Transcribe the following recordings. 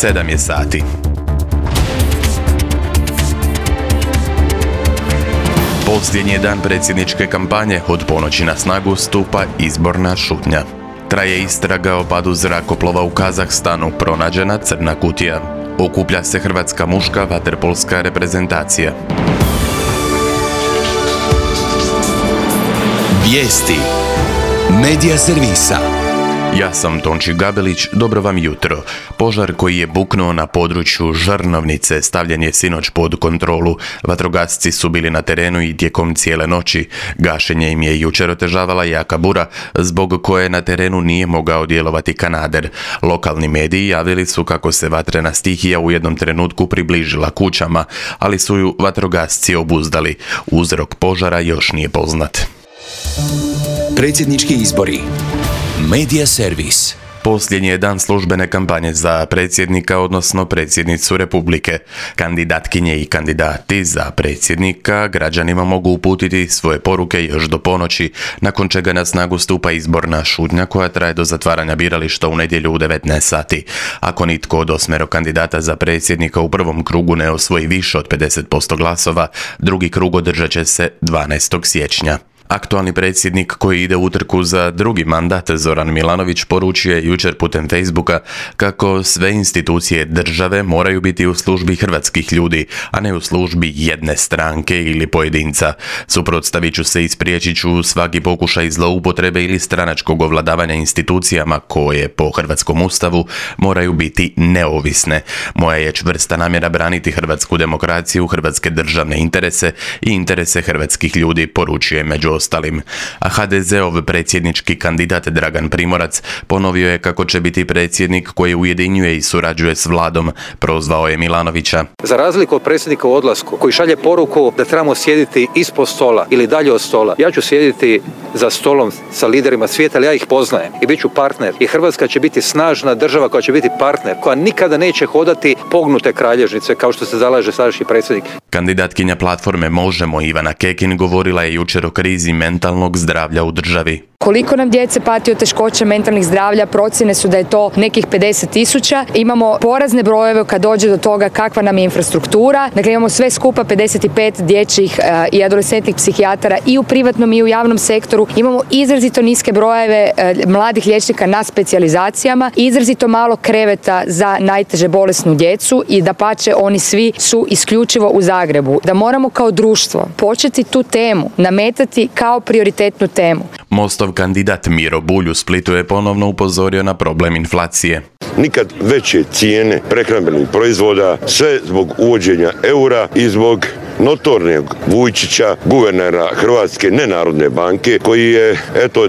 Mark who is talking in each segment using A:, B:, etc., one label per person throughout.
A: 7 je sati. Posljednji dan predsjedničke kampanje, od ponoći na snagu stupa izborna šutnja. Traje istraga o padu zrakoplova u Kazahstanu, pronađena crna kutija. Okuplja se hrvatska muška vaterpolska reprezentacija.
B: Vijesti Medija servisa.
A: Ja sam Tonči Gabelić, dobro vam jutro. Požar koji je buknuo na području Žrnovnice stavljen je sinoć pod kontrolu. Vatrogasci su bili na terenu i tijekom cijele noći. Gašenje im je jučer otežavala jaka bura, zbog koje na terenu nije mogao djelovati kanader. Lokalni mediji javili su kako se vatrena stihija u jednom trenutku približila kućama, ali su ju vatrogasci obuzdali. Uzrok požara još nije poznat.
B: Predsjednički izbori. Medija servis.
A: Posljednji je dan službene kampanje za predsjednika, odnosno predsjednicu Republike. Kandidatkinje i kandidati za predsjednika građanima mogu uputiti svoje poruke još do ponoći, nakon čega na snagu stupa izborna šutnja koja traje do zatvaranja birališta u nedjelju u 19 sati. Ako nitko od 8 kandidata za predsjednika u prvom krugu ne osvoji više od 50% glasova, drugi krug održat će se 12. siječnja. Aktualni predsjednik koji ide u utrku za drugi mandat, Zoran Milanović, poručio je jučer putem Facebooka kako sve institucije države moraju biti u službi hrvatskih ljudi, a ne u službi jedne stranke ili pojedinca. Suprotstavit ću se i spriječit ću svaki pokušaj zloupotrebe ili stranačkog ovladavanja institucijama koje, po hrvatskom ustavu, moraju biti neovisne. Moja je čvrsta namjera braniti hrvatsku demokraciju, hrvatske državne interese i interese hrvatskih ljudi, poručuje među ostalim. A HDZ-ov predsjednički kandidat Dragan Primorac ponovio je kako će biti predsjednik koji ujedinjuje i surađuje s vladom. Prozvao je Milanovića.
C: Za razliku od predsjednika u odlasku koji šalje poruku da trebamo sjediti ispod stola ili dalje od stola, ja ću sjediti za stolom sa liderima svijeta, ali ja ih poznajem i bit ću partner. I Hrvatska će biti snažna država koja će biti partner, koja nikada neće hodati pognute kralježnice kao što se zalaže sadašnji predsjednik.
A: Kandidatkinja platforme Možemo! Ivana Kekin govorila je jučer o krizi mentalnog zdravlja u državi.
D: Koliko nam djece pati od teškoća mentalnih zdravlja, procjene su da je to nekih 50.000. Imamo porazne brojeve kad dođe do toga kakva nam je infrastruktura. Dakle, imamo sve skupa 55 dječjih i adolescentnih psihijatara i u privatnom i u javnom sektoru. Imamo izrazito niske brojeve mladih liječnika na specijalizacijama, izrazito malo kreveta za najteže bolesnu djecu i dapače, oni svi su isključivo u Zagrebu. Da moramo kao društvo početi tu temu nametati kao prioritetnu temu.
A: Mostov kandidat Miro Bulj u Splitu je ponovno upozorio na problem inflacije.
E: Nikad veće cijene prehrambenih proizvoda, sve zbog uvođenja eura i zbog notornog Vujčića, guvernera Hrvatske nenarodne banke, koji je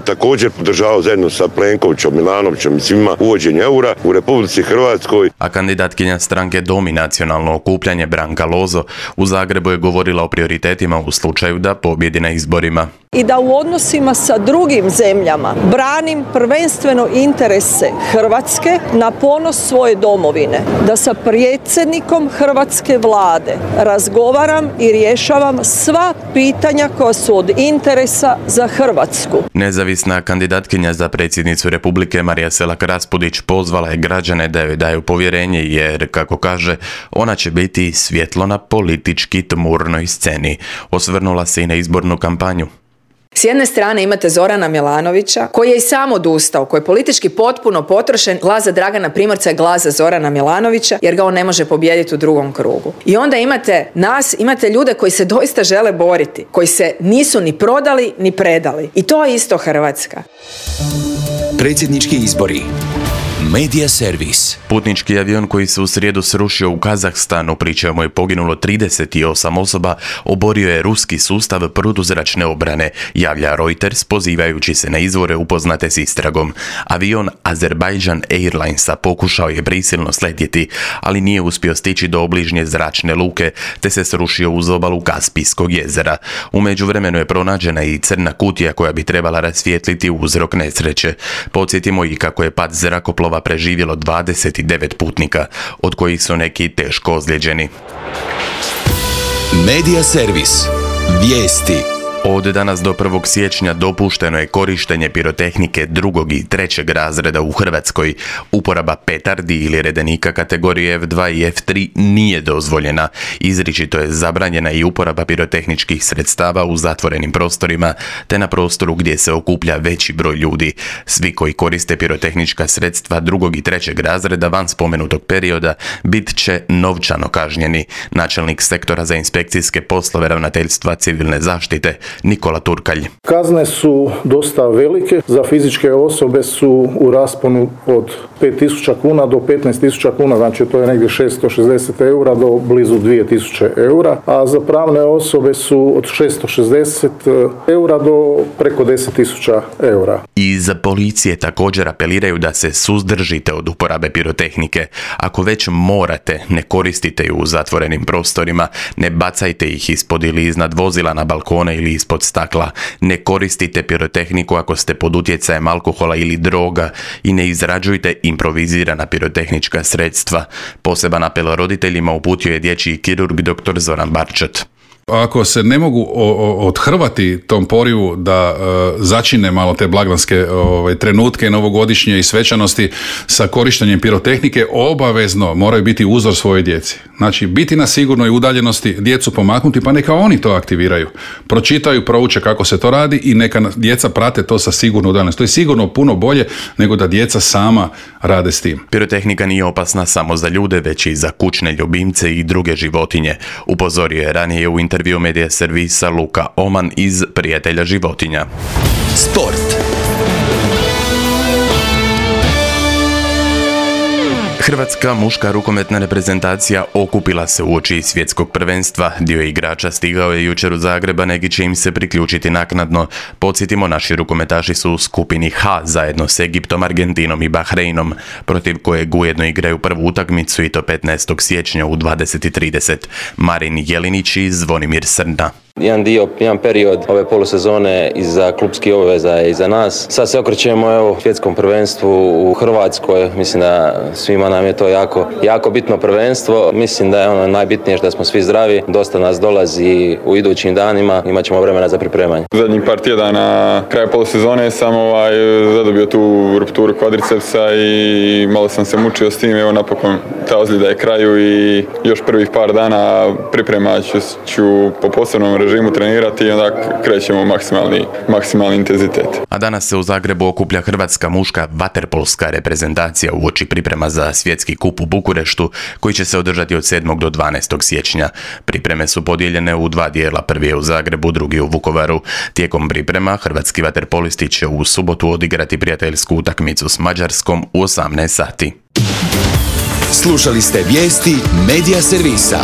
E: također podržavao zajedno sa Plenkovićem, Milanovićem i svima uvođenje eura u Republici Hrvatskoj.
A: A kandidatkinja stranke Dom i nacionalno okupljanje Branka Lozo u Zagrebu je govorila o prioritetima u slučaju da pobjedi na izborima.
F: I da u odnosima sa drugim zemljama branim prvenstveno interese Hrvatske na ponos svoje domovine, da sa predsjednikom hrvatske vlade razgovaram i rješavam sva pitanja koja su od interesa za Hrvatsku.
A: Nezavisna kandidatkinja za predsjednicu Republike Marija Selak Raspudić pozvala je građane da joj daju povjerenje jer, kako kaže, ona će biti svjetlo na politički tmurnoj sceni. Osvrnula se i na izbornu kampanju.
G: S jedne strane imate Zorana Milanovića koji je i sam odustao, koji je politički potpuno potrošen. Glas za Dragana Primorca je glas za Zorana Milanovića jer ga on ne može pobijediti u drugom krugu. I onda imate nas, imate ljude koji se doista žele boriti, koji se nisu ni prodali ni predali. I to je isto Hrvatska.
B: Predsjednički izbori. Medija servis.
A: Putnički avion koji se u srijedu srušio u Kazahstanu, pri čemu je poginulo 38 osoba, oborio je ruski sustav protuzračne obrane, javlja Reuters pozivajući se na izvore upoznate s istragom. Avion Azerbaijan Airlinesa pokušao je prisilno sletjeti, ali nije uspio stići do obližnje zračne luke, te se srušio uz obalu Kaspijskog jezera. U međuvremenu je pronađena i crna kutija koja bi trebala rasvijetliti uzrok nesreće. Podsjetimo i kako je pad zrakoplova preživjelo 29 putnika, od kojih su neki teško ozlijeđeni.
B: Medija servis. Vijesti.
A: Od danas do 1. siječnja dopušteno je korištenje pirotehnike 2. i 3. razreda u Hrvatskoj. Uporaba petardi ili redenika kategorije F2 i F3 nije dozvoljena. Izričito je zabranjena i uporaba pirotehničkih sredstava u zatvorenim prostorima te na prostoru gdje se okuplja veći broj ljudi. Svi koji koriste pirotehnička sredstva 2. i 3. razreda van spomenutog perioda bit će novčano kažnjeni. Načelnik sektora za inspekcijske poslove Ravnateljstva civilne zaštite Nikola Turkalj.
H: Kazne su dosta velike, za fizičke osobe su u rasponu od 5.000 kuna do 15.000 kuna, znači to je negdje 660 eura do blizu 2.000 eura, a za pravne osobe su od 660 eura do preko 10.000 eura.
A: Iz policije također apeliraju da se suzdržite od uporabe pirotehnike. Ako već morate, ne koristite ju u zatvorenim prostorima, ne bacajte ih ispod ili iznad vozila na balkone ili ispod stakla. Ne koristite pirotehniku ako ste pod utjecajem alkohola ili droga i ne izrađujte improvizirana pirotehnička sredstva. Poseban apel roditeljima uputio je dječji kirurg dr. Zoran Barčet.
I: Ako se ne mogu odhrvati tom porivu da začine malo te blagdanske trenutke novogodišnje i svečanosti sa korištenjem pirotehnike, obavezno moraju biti uzor svojoj djeci. Znači, biti na sigurnoj udaljenosti, djecu pomaknuti, pa neka oni to aktiviraju. Pročitaju, prouče kako se to radi i neka djeca prate to sa sigurno udaljenosti. To je sigurno puno bolje nego da djeca sama rade s tim.
A: Pirotehnika nije opasna samo za ljude, već i za kućne ljubimce i druge životinje. Upozorio je ranije u intervju Medija servisa Luka Oman iz Prijatelja životinja.
B: Sport.
A: Hrvatska muška rukometna reprezentacija okupila se uoči svjetskog prvenstva. Dio igrača stigao je jučer u Zagreb, a neki će im se priključiti naknadno. Podsjetimo, naši rukometaši su u skupini H zajedno s Egiptom, Argentinom i Bahreinom, protiv kojeg ujedno igraju prvu utakmicu i to 15. siječnja u 20:30. Marin Jelinić i Zvonimir Srna.
J: Jedan period ove polusezone iza klupskih obveza je iza nas. Sad se okrećemo svjetskom prvenstvu u Hrvatskoj. Mislim da svima nam je to jako bitno prvenstvo. Mislim da je ono najbitnije da smo svi zdravi. Dosta nas dolazi u idućim danima. Imat ćemo vremena za pripremanje.
K: Zadnjih par tjedana kraja polusezone sam zadobio tu rupturu kvadricepsa i malo sam se mučio s tim. Evo napokon ta ozljeda je kraju i još prvih par dana priprema ću po posebnom režimu trenirati i onda krećemo maksimalni intenzitet.
A: A danas se u Zagrebu okuplja hrvatska muška vaterpolska reprezentacija uoči priprema za svjetski kup u Bukureštu, koji će se održati od 7. do 12. siječnja. Pripreme su podijeljene u dva dijela, prvi je u Zagrebu, drugi u Vukovaru. Tijekom priprema hrvatski vaterpolisti će u subotu odigrati prijateljsku utakmicu s Mađarskom u 18 sati.
B: Slušali ste vijesti Medija servisa.